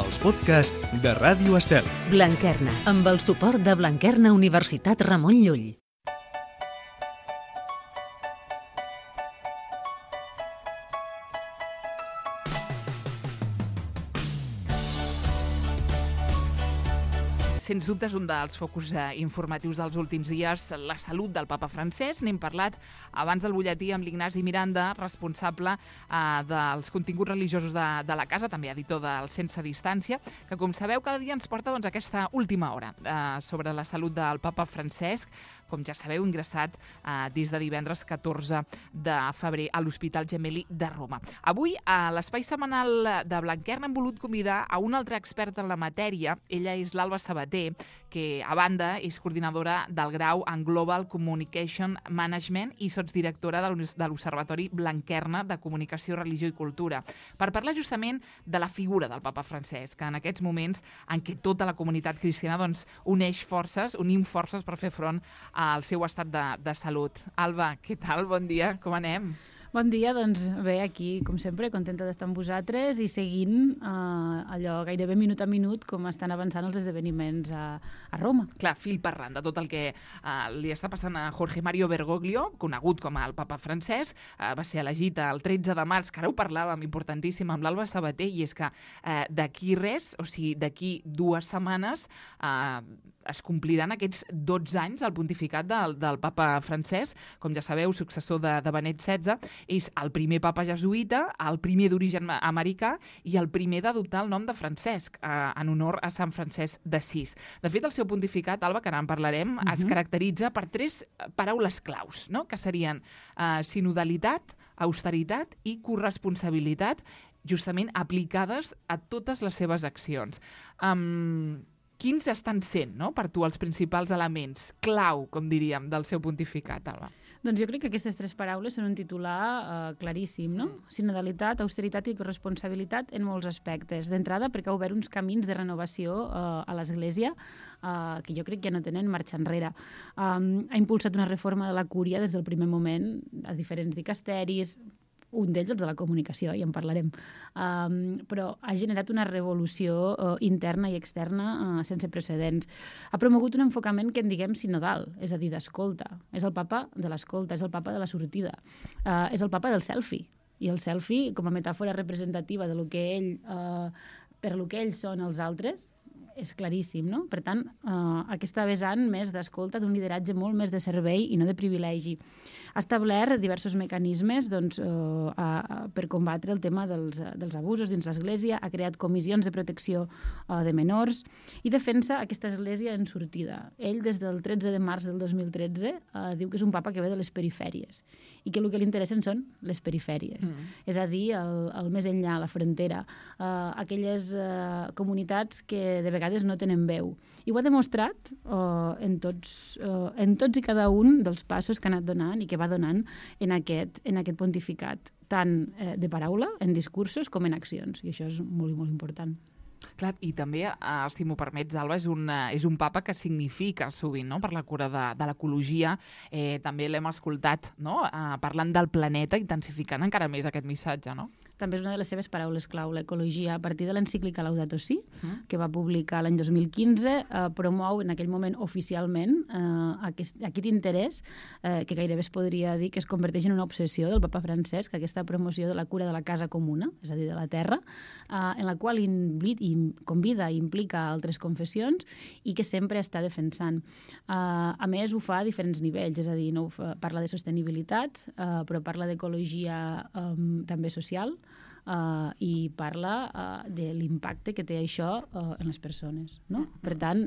els podcasts de Ràdio Estel. Blanquerna, amb el suport de Blanquerna Universitat Ramon Llull. Sens dubte és un dels focus informatius dels últims dies, la salut del papa Francesc. N'hem parlat abans del butlletí amb l'Ignasi Miranda, responsable dels continguts religiosos de la casa, també editor del Sense Distància, que, com sabeu, cada dia ens porta aquesta última hora sobre la salut del papa Francesc, com ja sabeu, ingressat des de divendres 14 de febrer a l'Hospital Gemelli de Roma. Avui, a l'espai setmanal de Blanquerna, hem volut convidar a un altre expert en la matèria. Ella és l'Alba Sabater, que, a banda, és coordinadora del grau en Global Communication Management i sotsdirectora de l'Observatori Blanquerna de Comunicació, Religió i Cultura, per parlar justament de la figura del papa Francesc, que en aquests moments en què tota la comunitat cristiana unim forces per fer front al seu estat de salut. Alba, què tal? Bon dia, com anem? Bon dia, doncs bé, aquí, com sempre, contenta d'estar amb vosaltres i seguint allò gairebé minut a minut com estan avançant els esdeveniments a Roma. Clar, fil per randa, tot el que li està passant a Jorge Mario Bergoglio, conegut com el papa Francesc, va ser elegit el 13 de març, que ara ho parlàvem, importantíssim, amb l'Alba Sabater, i és que d'aquí res, o sigui, d'aquí 2 setmanes, es compliran aquests 12 anys del pontificat del papa Francesc, com ja sabeu, successor de Benet XVI. És el primer papa jesuïta, el primer d'origen americà i el primer d'adoptar el nom de Francesc, en honor a Sant Francesc d'Assís. De fet, el seu pontificat, Alba, que ara en parlarem, es caracteritza per 3 paraules claus, no? Que serien sinodalitat, austeritat i corresponsabilitat, justament aplicades a totes les seves accions. Quins estan sent, no, per tu els principals elements clau, com diríem, del seu pontificat, Alba? Doncs jo crec que aquestes 3 paraules són un titular claríssim, no? Sinodalitat, austeritat i corresponsabilitat en molts aspectes. D'entrada, perquè ha obert uns camins de renovació a l'Església que jo crec que ja no tenen marxa enrere. Ha impulsat una reforma de la cúria des del primer moment a diferents dicasteris, un d'ells els de la comunicació, i en parlarem, però ha generat una revolució interna i externa sense precedents. Ha promogut un enfocament que en diguem sinodal, és a dir, d'escolta. És el papa de l'escolta, és el papa de la sortida, és el papa del selfie. I el selfie, com a metàfora representativa de lo que per lo que ells són els altres, és claríssim, no? Per tant, aquesta vessant més d'escolta, d'un lideratge molt més de servei i no de privilegi. Ha establert diversos mecanismes per combatre el tema dels abusos dins l'Església, ha creat comissions de protecció de menors i defensa aquesta Església en sortida. Ell, des del 13 de març del 2013, diu que és un papa que ve de les perifèries i que el que li interessen són les perifèries. És a dir, el més enllà, la frontera, aquelles comunitats que de vegades no tenen veu. I ho ha demostrat en tots i cada un dels passos que ha anat donant i que va donant en aquest pontificat, tant de paraula, en discursos, com en accions. I això és molt i molt important. Clar, i també, si m'ho permets, Alba, és un papa que significa sovint, no?, per la cura de l'ecologia. També l'hem escoltat, no?, parlant del planeta, intensificant encara més aquest missatge, no? També és una de les seves paraules clau, l'ecologia. A partir de l'encíclica Laudato Si, que va publicar l'any 2015, promou en aquell moment oficialment aquest interès, que gairebé es podria dir que es converteix en una obsessió del papa Francesc, aquesta promoció de la cura de la casa comuna, és a dir, de la terra, en la qual convida i implica altres confessions i que sempre està defensant. A més, ho fa a diferents nivells, és a dir, no parla de sostenibilitat, però parla d'ecologia també social, i parla de l'impacte que té això en les persones, no? Per tant,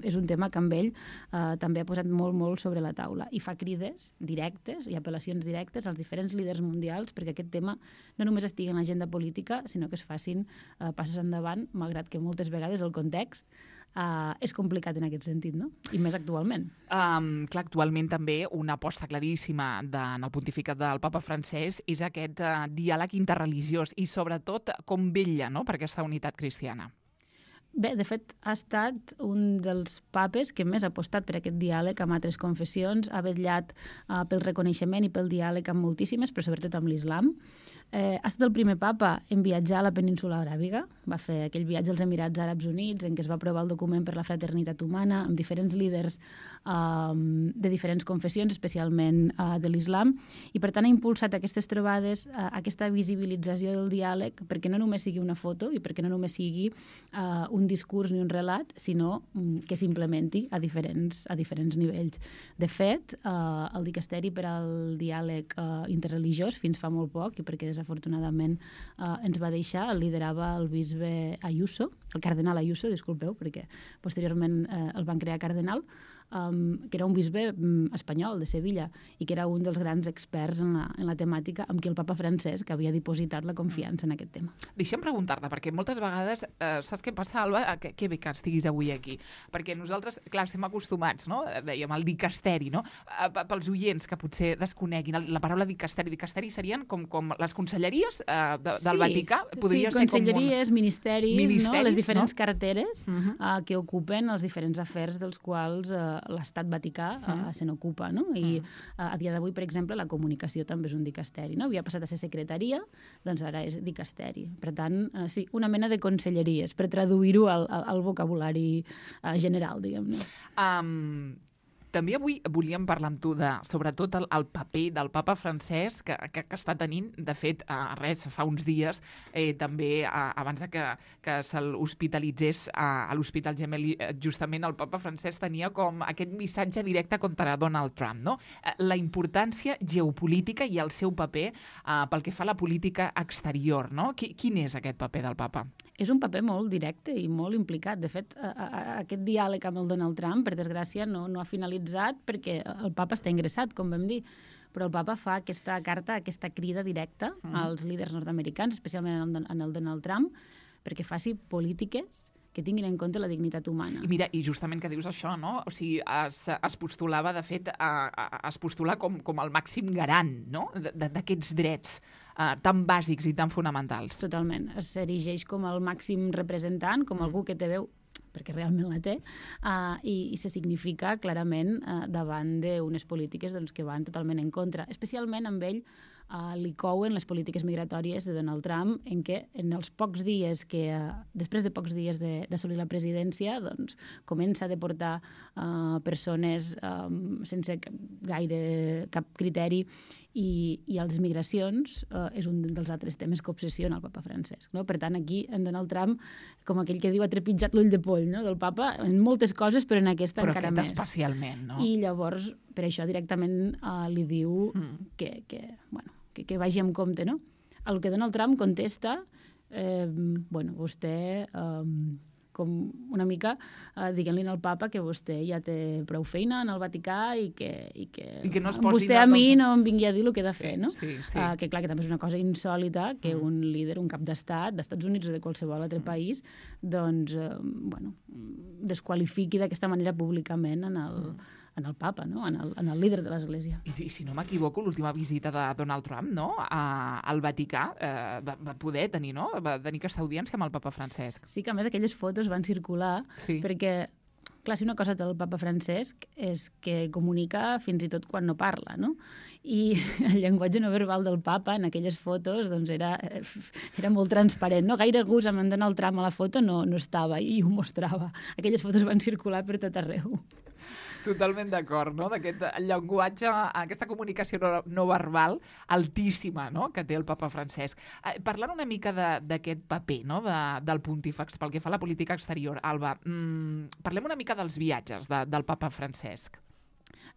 és un tema que amb ell també ha posat molt, molt sobre la taula i fa crides directes i apel·lacions directes als diferents líders mundials perquè aquest tema no només estigui en l'agenda política, sinó que es facin passos endavant, malgrat que moltes vegades el context és complicat en aquest sentit, no? I més actualment. Clar, actualment també una aposta claríssima en el pontificat del papa Francesc és aquest diàleg interreligiós i sobretot com vetlla, no?, per aquesta unitat cristiana. Bé, de fet, ha estat un dels papes que més ha apostat per aquest diàleg amb altres confessions, ha vetllat pel reconeixement i pel diàleg amb moltíssimes, però sobretot amb l'islam. Ha estat el primer papa en viatjar a la península aràbiga, va fer aquell viatge als Emirats Àrabs Units en què es va aprovar el document per la fraternitat humana amb diferents líders de diferents confessions, especialment de l'islam, i per tant ha impulsat aquestes trobades, aquesta visibilització del diàleg, perquè no només sigui una foto i perquè no només sigui un discurs ni un relat, sinó que s'implementi a diferents nivells. De fet, el dicasteri per al diàleg interreligiós fins fa molt poc, i perquè desafortunadament ens va deixar, el liderava el bisbe Ayuso, el cardenal Ayuso, disculpeu, perquè posteriorment el van crear cardenal, que era un bisbe espanyol de Sevilla i que era un dels grans experts en la temàtica amb qui el papa Francesc havia dipositat la confiança en aquest tema. Deixa'm preguntar-te, perquè moltes vegades, saps què passa, Alba? Que bé que estiguis avui aquí. Perquè nosaltres, clar, estem acostumats, no? Dèiem, al dicasteri, no? Pels oients que potser desconeguin la paraula dicasteri. Dicasteri serien com les conselleries del Vaticà? Podria ser conselleries, ministeris, no? Les diferents carteres que ocupen els diferents afers dels quals l'Estat Vaticà se n'ocupa, no? I a dia d'avui, per exemple, la comunicació també és un dicasteri, no? Havia passat a ser secretaria, doncs ara és dicasteri. Per tant, sí, una mena de conselleries, per traduir-ho al vocabulari general, diguem-ne. També avui volíem parlar amb tu de, sobretot, el paper del papa Francesc que està tenint. De fet, fa uns dies, també abans que se l'hospitalitzés a l'Hospital Gemelli, justament el papa Francesc tenia com aquest missatge directe contra Donald Trump, no? La importància geopolítica i el seu paper pel que fa a la política exterior, no? Quin és aquest paper del papa? És un paper molt directe i molt implicat. De fet, aquest diàleg amb el Donald Trump, per desgràcia, no ha finalitzat perquè el papa està ingressat, com vam dir, però el papa fa aquesta carta, aquesta crida directa als líders nord-americans, especialment en el Donald Trump, perquè faci polítiques que tinguin en compte la dignitat humana. I mira, i justament que dius això, no? O sigui, es postulava, de fet, es postula com el màxim garant, no?, d'aquests drets tan bàsics i tan fonamentals. Totalment. S'erigeix com el màxim representant, com algú que té veu, perquè realment la té, i se significa clarament davant d'unes polítiques que van totalment en contra. Especialment amb ell li couen les polítiques migratòries de Donald Trump, en què en els pocs dies després de pocs dies d'assolir la presidència, doncs comença a deportar persones sense cap criteri, i les migracions és un dels altres temes que obsessiona el papa Francesc, no? Per tant, aquí en Donald Trump, com aquell que diu, ha trepitjat l'ull de poll, no?, del papa, en moltes coses, però en aquesta encara més. Però aquest especialment, no? I llavors, per això directament li diu que vagi amb compte, no? El que Donald Trump contesta, vostè com una mica diguent-li al papa que vostè ja té prou feina en el Vaticà i que no es posi vostè a mi no em vingui a dir el que he de fer, no? Sí. Que clar, que també és una cosa insòlita que un líder, un cap d'estat d'Estats Units o de qualsevol altre país, doncs, desqualifiqui d'aquesta manera públicament en el papa, no?, en el líder de l'Església. I si no m'equivoco, l'última visita de Donald Trump, no?, al Vaticà, va poder tenir, no?, va tenir aquesta audiència amb el papa Francesc. Sí, que a més aquelles fotos van circular, perquè, clar, si una cosa té el papa Francesc és que comunica fins i tot quan no parla, no? I el llenguatge no verbal del papa en aquelles fotos doncs era molt transparent, no? Gaire gust amb en Donald Trump a la foto no estava i ho mostrava. Aquelles fotos van circular per tot arreu. Totalment d'acord, no?, d'aquest llenguatge, aquesta comunicació no verbal altíssima, no?, que té el papa Francesc. Parlant una mica d'aquest paper, no?, del pontífex pel que fa a la política exterior, Alba, parlem una mica dels viatges del papa Francesc.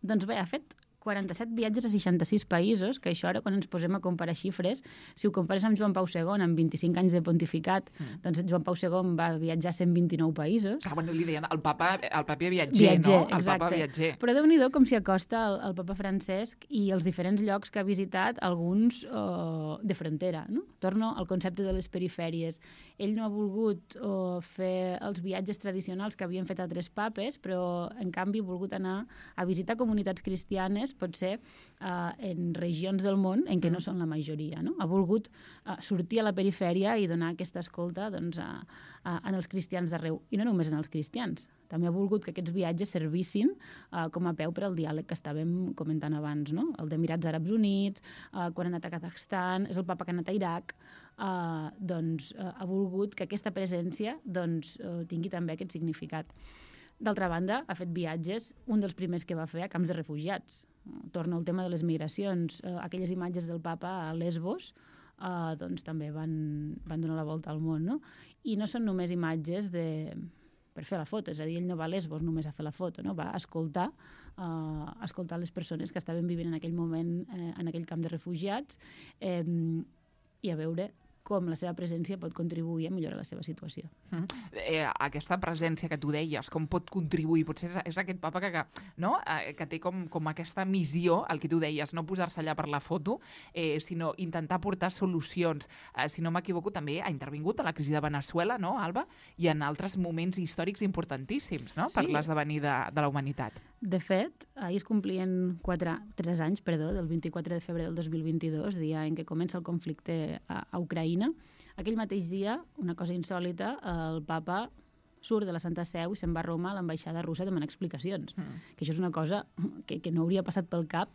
Doncs bé, ha fet 47 viatges a 66 països, que això ara, quan ens posem a comparar xifres, si ho compares amb Joan Pau II, amb 25 anys de pontificat, doncs Joan Pau II va viatjar a 129 països. Bueno, li deien el papa viatger, no? El exacte. Papa viatger. Però Déu-n'hi-do com s'hi acosta el papa Francesc i els diferents llocs que ha visitat, alguns de frontera, no? Torno al concepte de les perifèries. Ell no ha volgut fer els viatges tradicionals que havien fet altres papes, però, en canvi, ha volgut anar a visitar comunitats cristianes potser en regions del món en què no són la majoria. No? Ha volgut sortir a la perifèria i donar aquesta escolta doncs, en els cristians d'arreu. I no només en els cristians. També ha volgut que aquests viatges servissin com a peu per al diàleg que estàvem comentant abans, no? El d'Emirats Àrabs Units, quan ha anat a Kazakhstan, és el papa que ha anat a Iraq, ha volgut que aquesta presència tingui també aquest significat. D'altra banda, ha fet viatges, un dels primers que va fer a camps de refugiats. Torna al tema de les migracions. Aquelles imatges del papa a Lesbos també van donar la volta al món, no? I no són només imatges per fer la foto, és a dir, ell no va a Lesbos només a fer la foto, no? Va escoltar les persones que estaven vivint en aquell moment en aquell camp de refugiats i a veure com la seva presència pot contribuir a millorar la seva situació. Aquesta presència que tu deies, com pot contribuir? Potser és aquest papa que té com aquesta missió, el que tu deies, no posar-se allà per la foto, sinó intentar portar solucions. Si no m'equivoco, també ha intervingut a la crisi de Venezuela, no, Alba? I en altres moments històrics importantíssims, no?, per l'esdevenir de la humanitat. De fet, ahir es complien 3 anys del 24 de febrer del 2022, dia en què comença el conflicte a Ucraïna. Aquell mateix dia, una cosa insòlita, el papa surt de la Santa Seu i se'n va a Roma a l'ambaixada russa a demanar explicacions. Que això és una cosa que no hauria passat pel cap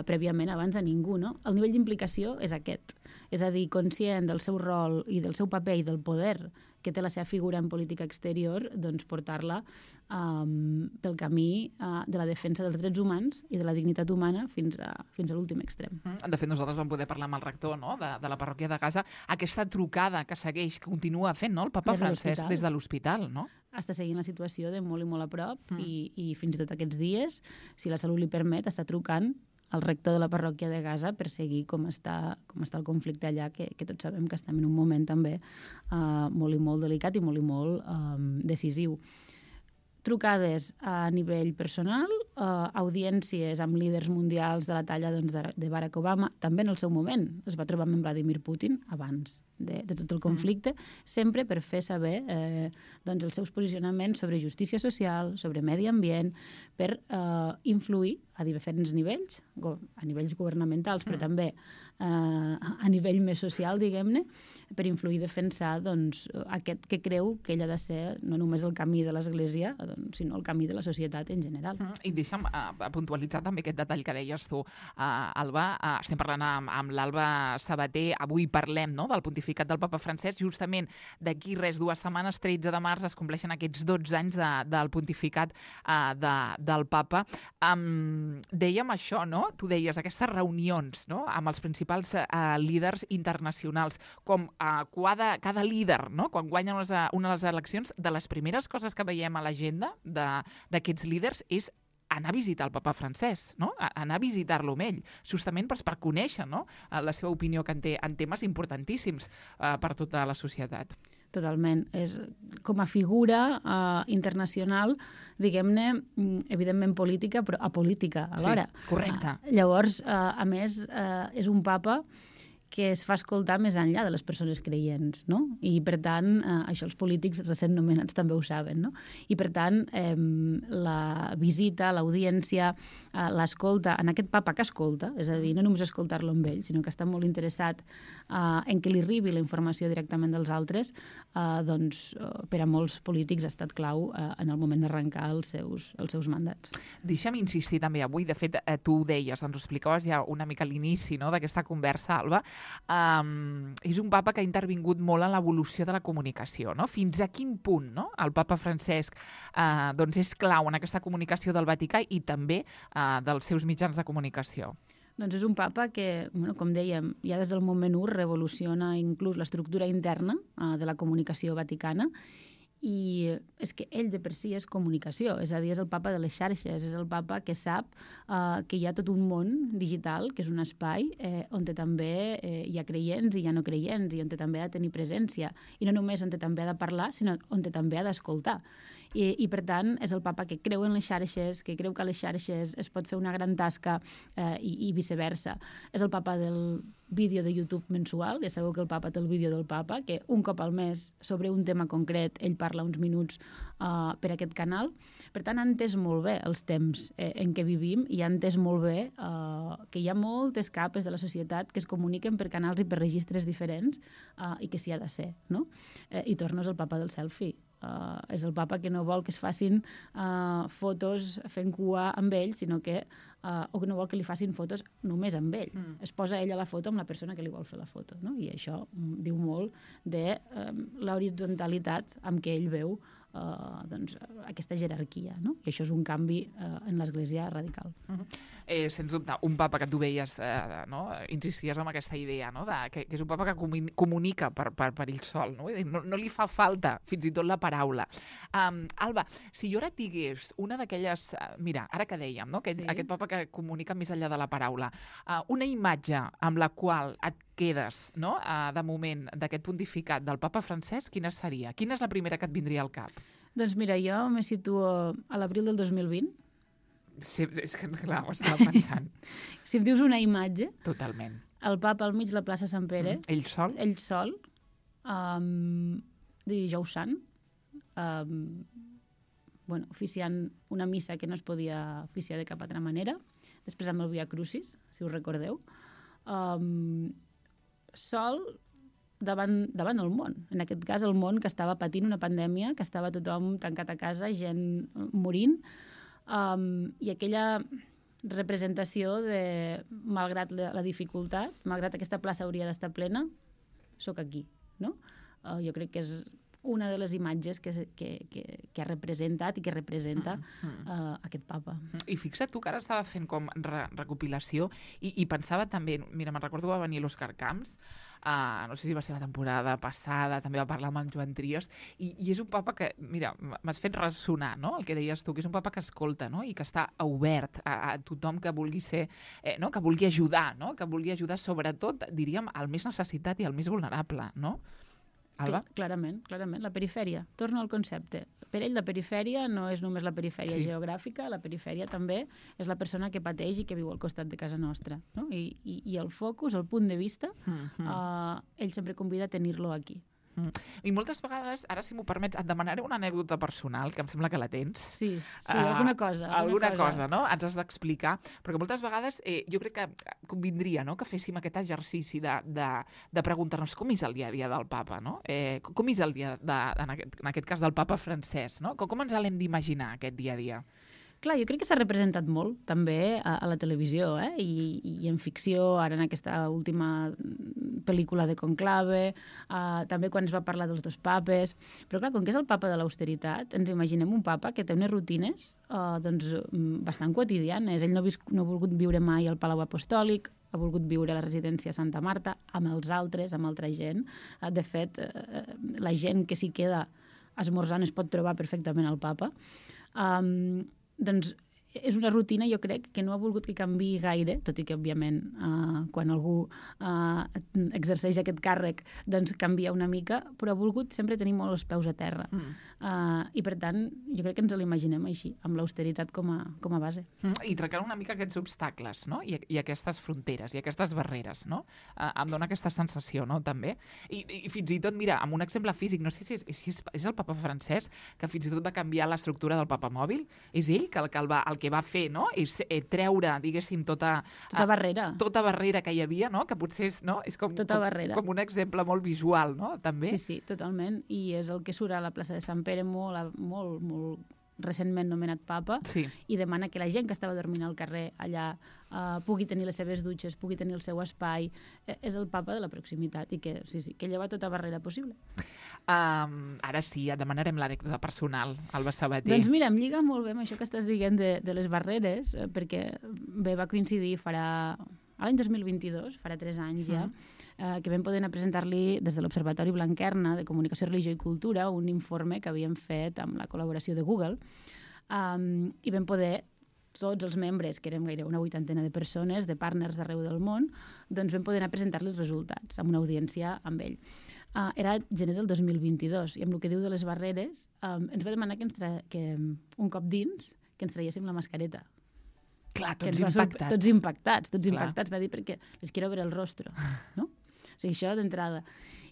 prèviament abans a ningú, no? El nivell d'implicació és aquest. És a dir, conscient del seu rol i del seu paper i del poder que té la seva figura en política exterior, doncs portar-la pel camí de la defensa dels drets humans i de la dignitat humana fins a l'últim extrem. De fet, nosaltres vam poder parlar amb el rector, no?, de la parròquia de Gaza. Aquesta trucada que segueix, que continua fent, no?, el papa Francesc des de l'hospital, no? Està seguint la situació de molt i molt a prop i fins i tot aquests dies, si la salut li permet, està trucant al rector de la parròquia de Gaza per seguir com està el conflicte allà, que tots sabem que estem en un moment també molt i molt delicat i molt i molt decisiu. Trucades a nivell personal, audiències amb líders mundials de la talla de Barack Obama, també en el seu moment es va trobar amb Vladimir Putin abans de tot el conflicte, sempre per fer saber els seus posicionaments sobre justícia social, sobre medi ambient, per influir a diferents nivells, a nivells governamentals, però també a nivell més social, diguem-ne, per influir i defensar aquest que creu que ell ha de ser no només el camí de l'Església, sinó el camí de la societat en general. I deixa'm puntualitzar també aquest detall que deies tu, Alba. Estem parlant amb l'Alba Sabater. Avui parlem del pontificat del papa Francesc. Justament d'aquí 2 setmanes, 13 de març, es compleixen aquests 12 anys del pontificat del papa. Dèiem això, no? Tu deies aquestes reunions, no?, amb els principals líders internacionals, com cada líder, no?, quan guanya una de les eleccions, de les primeres coses que veiem a l'agenda d'aquests líders és anar a visitar el papa Francesc, no?, anar a visitar-lo amb ell, justament per conèixer, no?, la seva opinió que en té en temes importantíssims per tota la societat. Totalment. És com a figura internacional, diguem-ne, evidentment política, però apolítica alhora. Sí, correcte. Llavors, a més, és un papa que es fa escoltar més enllà de les persones creients, no? I, per tant, això els polítics recent nomenats també ho saben, no? I, per tant, la visita, l'audiència, l'escolta, en aquest papa que escolta, és a dir, no només escoltar-lo amb ell, sinó que està molt interessat en que li arribi la informació directament dels altres, per a molts polítics ha estat clau en el moment d'arrencar els seus mandats. Deixa'm insistir també avui, de fet, tu ho deies, ens ho explicaves ja una mica a l'inici, no?, d'aquesta conversa, Alba. És un papa que ha intervingut molt en l'evolució de la comunicació, no? Fins a quin punt, no?, el papa Francesc és clau en aquesta comunicació del Vaticà i també dels seus mitjans de comunicació? Doncs és un papa que, com dèiem, ja des del moment 1 revoluciona inclús l'estructura interna de la comunicació vaticana, i és que ell de per si és comunicació, és a dir, és el papa de les xarxes, és el papa que sap que hi ha tot un món digital, que és un espai on també hi ha creients i hi ha no creients, i on també ha de tenir presència, i no només on també ha de parlar, sinó on també ha d'escoltar. I, per tant, és el papa que creu en les xarxes, que creu que a les xarxes es pot fer una gran tasca i viceversa. És el papa vídeo de YouTube mensual, ja sabeu que el papa té el vídeo del papa, que un cop al mes, sobre un tema concret, ell parla uns minuts per aquest canal. Per tant, ha entès molt bé els temps en què vivim i ha entès molt bé que hi ha moltes capes de la societat que es comuniquen per canals i per registres diferents i que s'hi ha de ser, no? I torno, és el papa del selfie. És el papa que no vol que es facin fotos fent cua amb ell, sinó que o que no vol que li facin fotos només amb ell. Es posa ell a la foto amb la persona que li vol fer la foto, no? I això diu molt de l'horitzontalitat amb què ell veu doncs, aquesta jerarquia, no? I això és un canvi en l'Església radical. Sens dubte, un papa que tu veies, no? Insisties en aquesta idea, no? Que és un papa que comunica per ell sol, no? No li fa falta fins i tot la paraula. Alba, si jo ara et digués una d'aquelles... Mira, ara que dèiem, no? Aquest papa que comunica més enllà de la paraula, una imatge amb la qual et quedes, no? De moment, d'aquest pontificat del papa Francesc, quina seria? Quina és la primera que et vindria al cap? Doncs mira, jo me situo a l'abril del 2020. Sí, és que, clar, ho estava pensant. Si em dius una imatge... Totalment. El papa al mig de la plaça Sant Pere. Ell sol? Ell sol. Dijous Sant. Oficiant una missa que no es podia oficiar de cap altra manera. Després amb el Via Crucis, si us recordeu. Sol davant el món. En aquest cas, el món que estava patint una pandèmia, que estava tothom tancat a casa, gent morint, i aquella representació de, malgrat la dificultat, malgrat aquesta plaça hauria d'estar plena, sóc aquí, no? Jo crec que és una de les imatges que ha representat i que representa aquest papa. I fixa't tu que ara estava fent com recopilació i pensava també, mira, me'n recordo que va venir l'Òscar Camps, no sé si va ser la temporada passada, també va parlar amb en Joan Trias, i és un papa que, mira, m'has fet ressonar, no?, el que deies tu, que és un papa que escolta, no?, i que està obert a tothom que vulgui ser, no?, que vulgui ajudar, no?, que vulgui ajudar sobretot, diríem, al més necessitat i al més vulnerable, no? Alba? Clarament, la perifèria. Torno al concepte. Per ell la perifèria no és només la perifèria geogràfica, la perifèria també és la persona que pateix i que viu al costat de casa nostra. No? I el focus, el punt de vista, ell sempre convida a tenir-lo aquí. I moltes vegades, ara si m'ho permets, et demanaré una anècdota personal, que em sembla que la tens. Sí, alguna cosa. Alguna cosa, no? Ens has d'explicar, perquè moltes vegades jo crec que convindria, no?, que féssim aquest exercici de preguntar-nos com és el dia a dia del papa, no? Com és el dia, en aquest cas, del papa Francesc, no? Com ens l'hem d'imaginar, aquest dia a dia? Clar, jo crec que s'ha representat molt, també, a la televisió, i en ficció, ara en aquesta última pel·lícula de Conclave, també quan es va parlar dels dos papes. Però clar, com que és el papa de l'austeritat, ens imaginem un papa que té unes rutines bastant quotidianes. Ell no ha volgut viure mai al Palau Apostòlic, ha volgut viure a la residència Santa Marta, amb els altres, amb altra gent. De fet, la gent que s'hi queda esmorzant es pot trobar perfectament al papa. Doncs és una rutina, jo crec, que no ha volgut que canviï gaire, tot i que, òbviament, quan algú exerceix aquest càrrec, doncs canvia una mica, però ha volgut sempre tenir molt els peus a terra. I, per tant, jo crec que ens l'imaginem així, amb l'austeritat com a base. I trencar una mica aquests obstacles, no?, i aquestes fronteres, i aquestes barreres, no? Em dona aquesta sensació, no?, també. I fins i tot, mira, amb un exemple físic, no sé si és el papa Francesc, que fins i tot va canviar l'estructura del papa mòbil. És ell el que va fer, no?, és treure, diguéssim, tota barrera que hi havia, no?, que potser és com un exemple molt visual, no?, també. Sí, totalment. I és el que surt a la plaça de Sant Pere, molt recentment nomenat papa, i demana que la gent que estava dormint al carrer allà pugui tenir les seves dutxes, pugui tenir el seu espai. És el papa de la proximitat i que lleva tota barrera possible. Ara sí, et demanarem l'anècdota personal, Alba Sabater. Doncs mira, em lliga molt bé amb això que estàs dient de les barreres, perquè bé, va coincidir l'any 2022, farà 3 anys ja, que vam poder anar a presentar-li des de l'Observatori Blanquerna de Comunicació, Religió i Cultura un informe que havíem fet amb la col·laboració de Google, i vam poder, tots els membres, que érem gairebé una 80ena de persones, de partners d'arreu del món, doncs vam poder anar a presentar-li els resultats amb una audiència amb ell. Era gener del 2022, i amb el que diu de les barreres, ens va demanar que un cop dins, que ens traiéssim la mascareta. Clar, que tots ens va impactats. Tots impactats, Clar. impactats. Va dir perquè les quiero ver el rostro, no? O sigui, això d'entrada.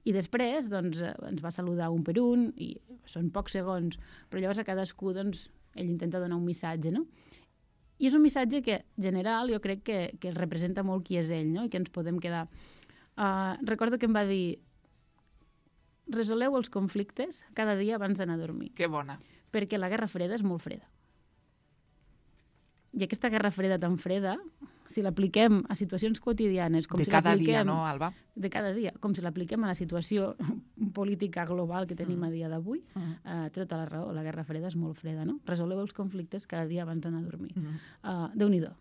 I després, doncs, ens va saludar un per un, i són pocs segons, però llavors a cadascú, doncs, ell intenta donar un missatge, no? I és un missatge que, general, jo crec que representa molt qui és ell, no? I que ens podem quedar. Recordo que em va dir: resoleu els conflictes cada dia abans d'anar a dormir. Que bona. Perquè la Guerra Freda és molt freda. I aquesta Guerra Freda tan freda, si l'apliquem a situacions quotidianes... Com de si cada dia, no, Alba? De cada dia. Com si l'apliquem a la situació política global que tenim a dia d'avui, té tota la raó. La Guerra Freda és molt freda, no? Resoleu els conflictes cada dia abans d'anar a dormir. Déu-n'hi-do.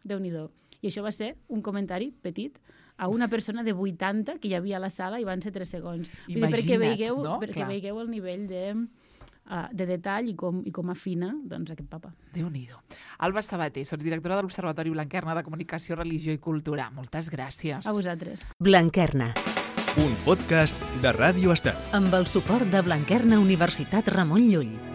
Déu-n'hi-do. I això va ser un comentari petit a una persona de 80 que hi havia a la sala i van ser 3 segons. Imagina't, perquè veieu, no? Perquè Clar. veieu el nivell de detall i com afina doncs, aquest papa. Déu-n'hi-do. Alba Sabater, sots directora de l'Observatori Blanquerna de Comunicació, Religió i Cultura. Moltes gràcies. A vosaltres. Blanquerna, Un podcast de Ràdio Estel. amb el suport de Blanquerna Universitat Ramon Llull.